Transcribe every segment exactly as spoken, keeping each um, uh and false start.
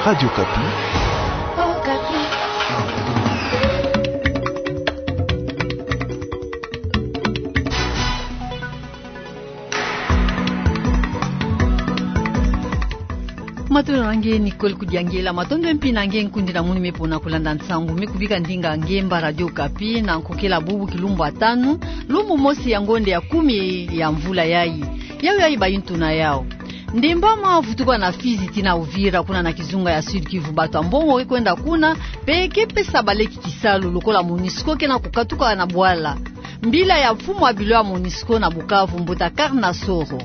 Radio Okapi. Matondo na nge Nicole Kudiangela, matondo mpi na nge nkundi na munu me pona kulanda nsangu me kubika ndinga nge mba Radio Okapi na nkokela bubu kilumbu ya tanu, lumbu mosi ya ngonde ya kumi ya mvula yayi. Yawu yayi bayi ntuna yawu. Ndembama vutuka na Fizi tii na Uvira kuna na kizunga ya Sud-Kivu, batu ya mbongo ke kwenda kuna, pe ke pesa baleki kisalu lokola MONUSCO ke na kukatuka na bwala. Mbila ya mfumu ya bilo ya MONUSCO na Bukavu, mbuta Karna Soro.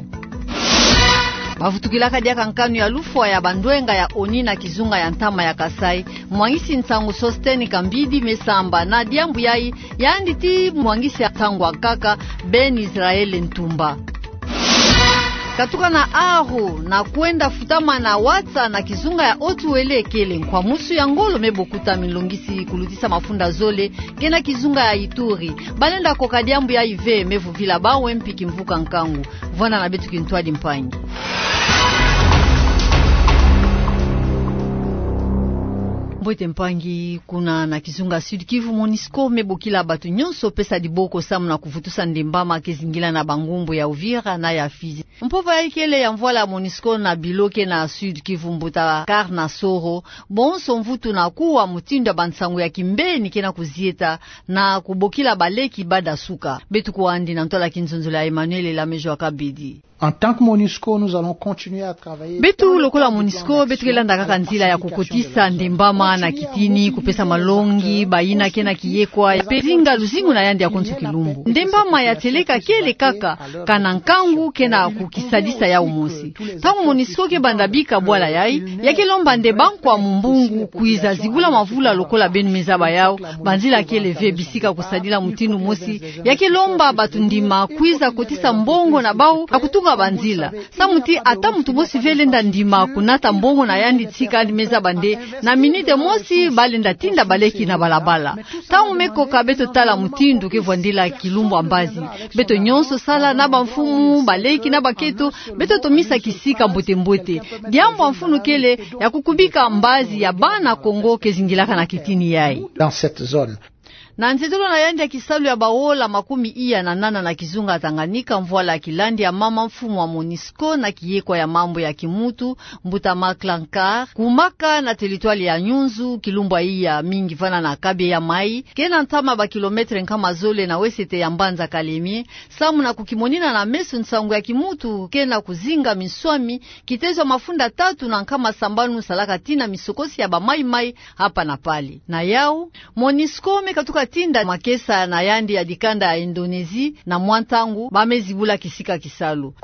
Bavutukilaka diaka nkanu ya lufwa ya bandwenga ya ONU na kizunga ya ntama ya Kasaï, mwangisi nsangu Sostène Kambidi me samba na diambu yayi, yandi tii mwangisi ya nsangu ya nkaka, Ben Israël Ntumba. Katuka na aho na kwenda futama na watsa na kizunga ya Haut-Uélé kele nkwamusu ya ngolo me bokuta minlongisi kulutisa mafunda zole ke na kizunga ya Ituri. Balenda koka diambu yayi ve, me vuvila bawu mpi kimvuka nkangu. Vwanda na beto kintwadi mpangi. Mbote mpangi. Kuna na kizunga Sud-Kivu, MONUSCO me bokila batu nyonso pesa diboko samu na kuvutusa ndembama ke zingila na bangumbu ya Uvira na ya Fizi. Mpova yayi kele ya mvwala ya MONUSCO na bilo ke na Sud-Kivu, mbuta Karna Soro, bonso mvutu na kuwa mutindu ya bansangu ya kimbeni ke na kuzieta na kubokila baleki bada suka. Beto kwandi na ntwala kinzonzolo ya Emmanuel Elamejo Akabidi. En tant que MONUSCO, nous allons continuer à travailler. Beto lokola MONUSCO, beto ke landa kaka nzila ya kukotisa ndembama na kitini, kupesa malongi bayina ke na kiyekwa, pe zinga luzingu na yandi ya konso kilumbu. Ndembama ya tieleka kele kaka, kana nkangu ke na kukisadisa yawu mosi. Ntangu MONUSCO ke banda bika bwala yayi, ya ke lomba nde bankwa mumbungu kwiza zibula mavula lokola beno me zaba yawu, banzila kele ve bisika kusadila mutindu mosi, ya ke lomba batu ndima kwiza kotisa mbongo na bawu na kutunga banzila. Samu ti ata muntu mosi ve lenda ndima kunata mbongo na yandi tika yandi me zaba nde na minute mosi balenda tinda baleki na balabala. Ntangu me koka beto tala mutindu ke vwandila kilumbu ya mbazi. Beto nyonso sala na bamfumu, baleki na baketo, beto tomisa kisika mbote mbote. Diambu ya mfunu kele ya kukubika mbazi ya bana Kongo ke zingilaka na kitini yayi. Dans cette zone. Na nzietolo na yandi ya kisalu ya baola makumi iya na nana na kizunga Tanganyika, mvwala ya kilandi ya mama mfumu wa MONUSCO na kiyekwa ya mambu ya kimuntu, mbuta Marc Lancard, kumaka na teritware ya Nyunzu, kilumbu ya iya mingi vana na Kabeya Mai, ke na ntama ba kilometre nkama zole na wesete ya mbanza Kalemie, samu na kukimonina na meso nsangu ya kimuntu ke na kuzinga minswami, kitezo ya mafunda tatu na nkama sambanu salaka tii na misokosi ya ba Mai Mai hapa na pale. Na yawu, MONUSCO me katuka tinda makesa na yandi ya dikanda ya Indonésie na mwa ntangu ba me zibula kisika kisalu.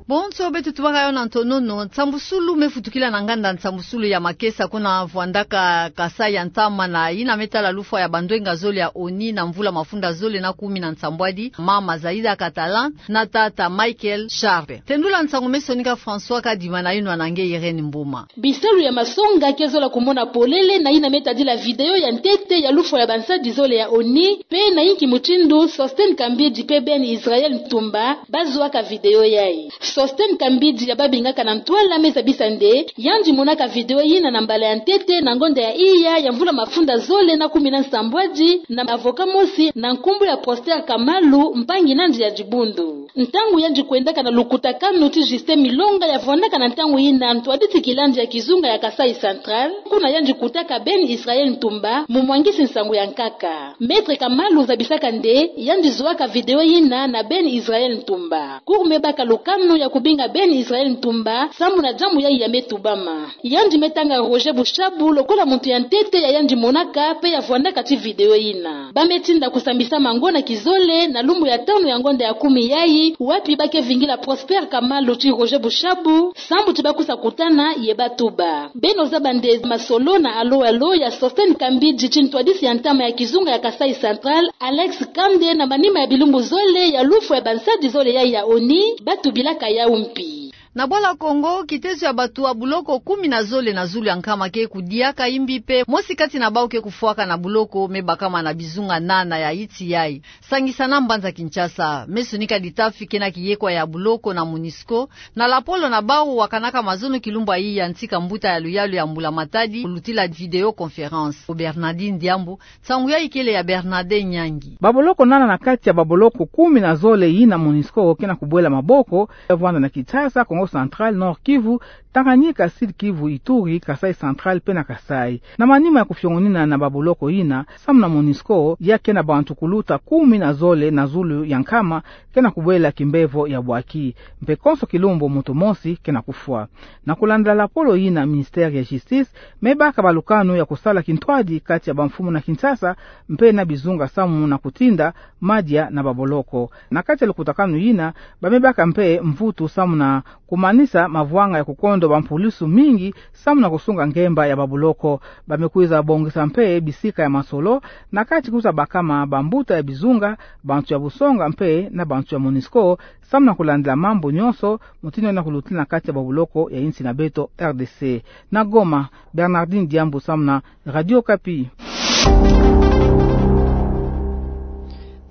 Bonso beto tubaka yawu na ntonono, nsambusulu me futukila na nganda nsambusulu ya makesa kuna vwandaka Kasaï ya ntama na yina me tala lufwa ya bandwenga zole ya ONU na mvula mafunda zole na kumi na nsambwadi, mama Zaïda Catalan na tata Michael Sharp. Tendula nsangu me sonika François Kadima na yinwa na nge Irène Mboma. Bisalu ya masonga ke zola kumona polele na yina me tadila video ya ntete ya lufwa ya bansadi zole ya ONU, pe na yinki mutindu Sostène Kambidi pe Ben Israël Ntumba ba zwaka video yayi. Sostène Kambidi ya babingaka na ntwala me zabisa nde yandi monaka video yina na mbala ya ntete na ngonda ya iya ya mvula mafunda zole na kumi na nsambwadi na avocat mosi na nkumbu ya Prosper Kamalu, mpangi nandi ya dibundu. Ntangu yandi kwendaka na lukutakanu ti Justin Milonga ya vwandaka na ntangu yina ntwadisi kilandi ya kizunga ya Kasaï Central, kuna yandi kutaka Ben Israël Ntumba, mumwangisi nsangu ya nkaka. Maître Kamalu zabisaka nde yandi zwaka video yina na Ben Israël Ntumba. Cour me baka lukanu ya kubinga Ben Israël Ntumba samu na diambu yayi ya me tubama. Yandi me tanga Roger Bushabu lokola muntu ya ntete ya yandi monaka pe ya vwandaka ti video yina. Ba me tinda kusambisa mango na kizole na lumbu ya tanu ya ngonda ya kumi yayi, wapi ba ke vingila Prosper Kamalu ti Roger Bushabu, sambu ti ba kusa kutana ye ba tuba. Beno zaba nde masolo na alo alo ya Sostène Kambidi ti ntwadisi ya ntama ya kizunga ya Kasaï Central, Alex Kande, na manima ya bilumbu zole ya lufwa ya bansadi zole yayi ya ONU, ba tubilaka yawu mpi. Na bwala Kongo, kitezo ya batu ya buloko kumi na zole na zulu ya nkama ke kudiaka imbi mpe mosi kati na bau ke kufwaka na buloko me bakama na bizunga nana ya insi yayi. Sangisa na mbanza Kinshasa, me sonika ditafi kena kiyekwa ya buloko na MONUSCO, na lapolo na bau wakanaka mazono kilumbu yayi ya ntika mbuta ya luyalu ya mbula-matadi, kulutila vidéoconférence. Bernardine Diambu, nsangu yayi kele ya Bernadette Nyangi. Baboloko nana na kati ya baboloko kumi na zole yina MONUSCO kena kubwela maboko, ya vwanda na Kinshasa, Kongo Central, Nord-Kivu, Tanganyika, Sud-Kivu, Ituri, Kasaï Central mpe na Kasaï. Na manima ya kufiongonina na baboloko yina, samu na MONUSCO, ya kena bantu kuluta kumi na zole na zulu ya nkama, kena kubwela kimbevo ya bwaki. Mpe konso kilumbu muntu mosi kena kufwa. Na kulandila lapolo yina, ministère ya Justice me baka balukanu ya kusala kintwadi kati ya bamfumu na Kinshasa mpe na bizunga samu na kutinda madia na baboloko. Na kati ya lukutakanu yina, ba me baka mpe mvutu samu na kumanisa mavwanga ya kukondo bampulusu mingi samu na kusunga ngemba ya baboloko. Ba me kwiza bongisa mpe bisika ya masolo, na kati kwiza bakama bambuta ya bizunga, bantu ya busonga mpe na bantu ya MONUSCO, samu na kulandila mambu nyonso mutindu yina kulutila na kati ya baboloko ya insi na beto R D C. Na Goma, Bernardine Diambu samu na Radio Okapi.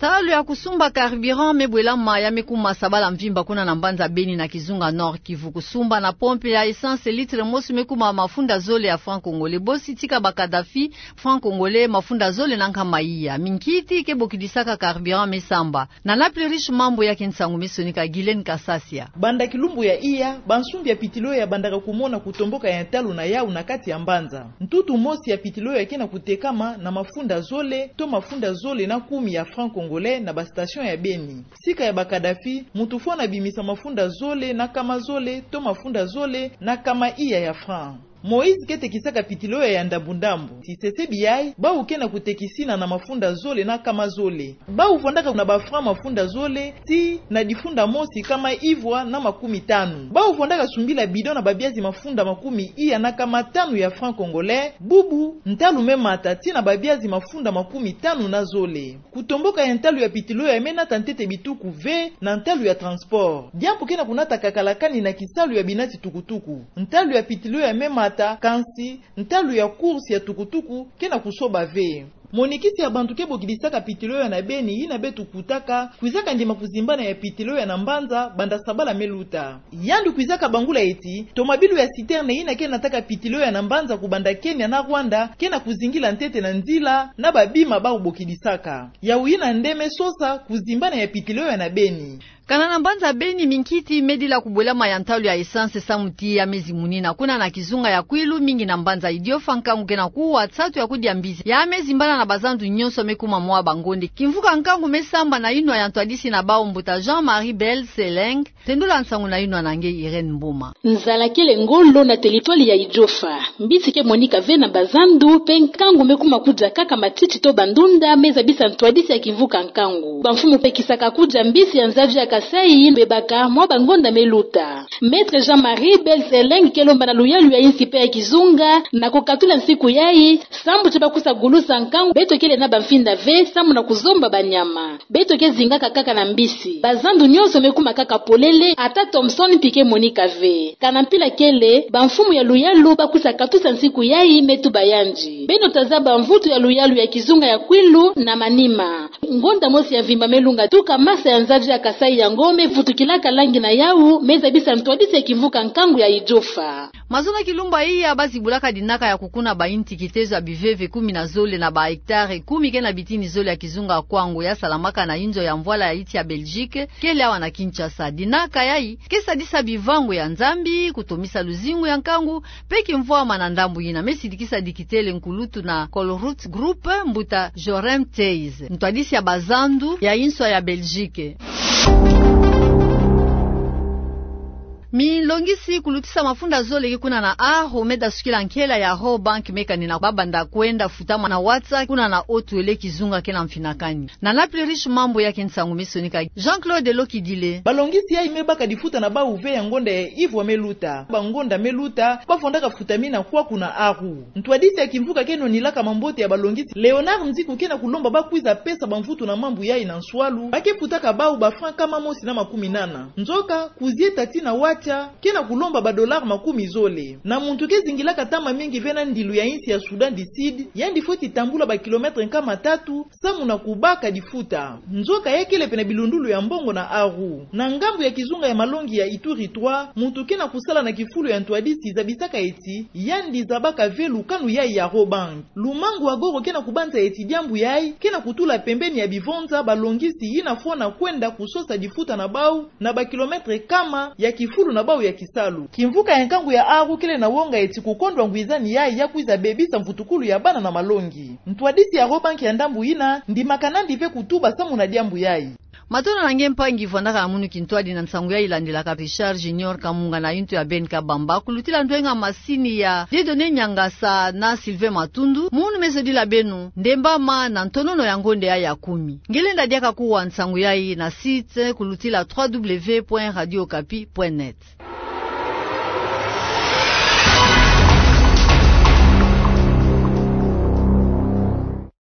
Ntalu ya kusumba carburant me bwelama ya me kuma sabala mvimba kuna na mbanza Beni na kizunga Nord-Kivu. Kusumba na pompe ya essence litre mosi me kuma mafunda zole ya franc congolais. Bosi tika ba Kadhafi, franc congolais mafunda zole na nkama iya. Minkiti ke bokidisaka carburant me samba. Na Napli Riche mambu ya ke nsangu me sonika Guylaine Kasasia. Banda kilumbu ya iya, bansumbi ya pitilo ya bandaka kumona kutomboka ya ntalu na yau na kati ya mbanza. Ntutu mosi ya pitilo ya kena kutekama na mafunda zole to mafunda zole na kumi ya franc congolais na ba station ya Beni. Sika ya ba Kadhafi, muntu fwana bimisa mafunda zole na nkama zole to mafunda zole na nkama iya ya franc. Moïse ke tekisaka pitilo ya ndambu-ndambu. Tisesebi yayi, bau kena kutekisina na mafunda zole na nkama zole. Bau vwandaka na ba franc mafunda zole, tii na difunda mosi nkama ivwa na makumi tanu. Bau vwandaka sumbila bidon na babiazi mafunda makumi iya na nkama tanu ya franc congolais, bubu, ntalu me mata tii na babiazi mafunda makumi tanu na zole. Kutomboka ya ntalu ya pitilo ya me nata ntete bituku ve na ntalu ya transport. Diambu kena kunata kakala kani na kisalu ya binati tukutuku. Ntalu ya pitilo ya me mata, kansi ntalu ya course ya tukutuku kena kusoba ve. Monikisi ya bantu ke bokidisaka pitilo ya na Beni yina beto kutaka, kwizaka ndima kuzimbana ya pitilo ya na mbanza banda sabala me luta. Yandi kwizaka bangula ti, tomabilu ya citerne yina ke nataka pitilo ya na mbanza kubanda Kenya na Rwanda, kena kuzingila ntete na nzila na babima bau bokidisaka. Yau yina nde me sosa kuzimbana ya pitilo ya na Beni. Kana na mbanza Beni, minkiti me dila kubwelama ya ntalu ya essence samu ti ya me zimunina. Kuna na kizunga ya Kwilu, mingi na mbanza Idiofa, nkangu kena kuwa, nsatu ya kudia mbisi ya me zimbana na bazandu nyonso me kuma mwa bangonde. Kimvuka nkangu me samba na inwa ya ntwadisi na bau, mbuta Jean-Marie Belseleng. Tendula nsangu na inwa na nge Irène Mboma. Nzala kele ngolo na territoire ya Idiofa. Mbisi ke monika ve na bazandu, mpe nkangu me kuma kudia kaka matiti to bandunda me zabisa ntwadisi ya kimvuka nkangu. Bamfumu pekisaka kudia mbisi ya nzazi ya Kasaï, bebaka mwa bangonda me luta. Maître Jean-Marie Belseleng ke lomba na luyalu ya insi mpe ya kizunga, na kukatula nsiku yayi, sambu ti bakwiza gulusa nkangu, beto kele na bamfinda ve samu na kuzomba banyama. Beto ke zingaka kaka na mbisi. Bazandu nyonso me kuma kaka polele, ata Thomson mpi ke monika ve. Kana mpila kele, bamfumu ya luyalu bakwiza katusa nsiku yayi, me tuba yandi: Beno ta zaba mvutu ya luyalu ya kizunga ya Kwilu na manima. Ngonda mosi ya mvimba me lunga tuka masa ya nzazi ya Kasaï yango me vutukilaka langi na yau, me zabisa ntwadisi ya kimvuka nkangu ya Idiofa. Mazono kilumbu iya, bazibulaka dinaka ya kukuna bainti kitezo ya biveve kumi na zole na ba hectare kumi kena bitini zole ya kizunga Kwango ya salamaka na inzo ya mvwala ya insi ya Belgique, kele awa na Kinshasa. Dinaka yayi ke sadisa bivangu ya Nzambi, kutomisa luzingu ya nkangu, mpe kimvwama na ndambu yina me sidikisa dikitele nkulutu na Colruyt Group, mbuta Jorem Theis, ntwadisi ya bazandu ya insi ya Belgique. Milongisi kulutisa mafunda zole ke kuna na Aru, me dasukila nkela ya Rawbank, me kanina babanda kwenda futama na WhatsApp kuna na Haut-Uele, kizunga kena mfinakani. Na Napli Riche mambu ya ke nsangu me sonika Jean-Claude Lokidile. Balongisi yayi me baka difuta na bau ve ya ngonda ya ivwa me luta. Bangonda me luta, bavwandaka futamina kwaku na Aru. Ntwadisi ya kimvuka ke nonilaka mambote ya balongisi, Léonard Nziku, kena kulomba bakwiza pesa bamvutu na mambu yayi na nswalu, ba ke futaka bau ba franc nkama mosi na makumi nana. Nzoka, kuzieta tii na wati, Tchad, ke na kulomba ba dollars makumi zole. Na muntu ke zingilaka ntama mingi ve na ndilu ya insi ya Soudan du Sud, yandi fweti tambula ba kilomètres nkama tatu, samu na kubaka difuta. Nzoka ya kele pene bilundulu ya mbongo na Aru. Na ngambu ya kizunga ya malongi ya Ituri trois, muntu ke na kusala na kifulu ya ntwadisi zabisaka eti, yandi zabaka ve lukanu yai ya Robank. Lumangu wa goro ke na kubanza eti diambu yai ke na kutula pembeni ya bivonza balongisi yina fwana kwenda kusosa difuta na bau, na ba kilomètres nkama ya kifulu na bau ya kisalu. Kimvuka ya nkangu ya Aru kele na wonga eti kukondwa ngwizani yai ya kwiza bebisa mvutukulu ya bana na malongi. Ntwadisi ya Robank ya ndambu yina ndimaka nandi ve kutuba samu na diambu yai. Matondo na nge mpangi vwandaka na munu kintwadi na nsangu yai landilaka. Richard Junior Kamunga na yintu ya Ben Kabamba, kulutila ndwenga masini ya Dieudonné Niangasa na Sylvain Matundu. Munu me zodila beno, ndembama na ntonono ya ngonde yai ya kumi. Nge lenda diaka kuwa nsangu yai na site kulutila trois W point radio okapi point net.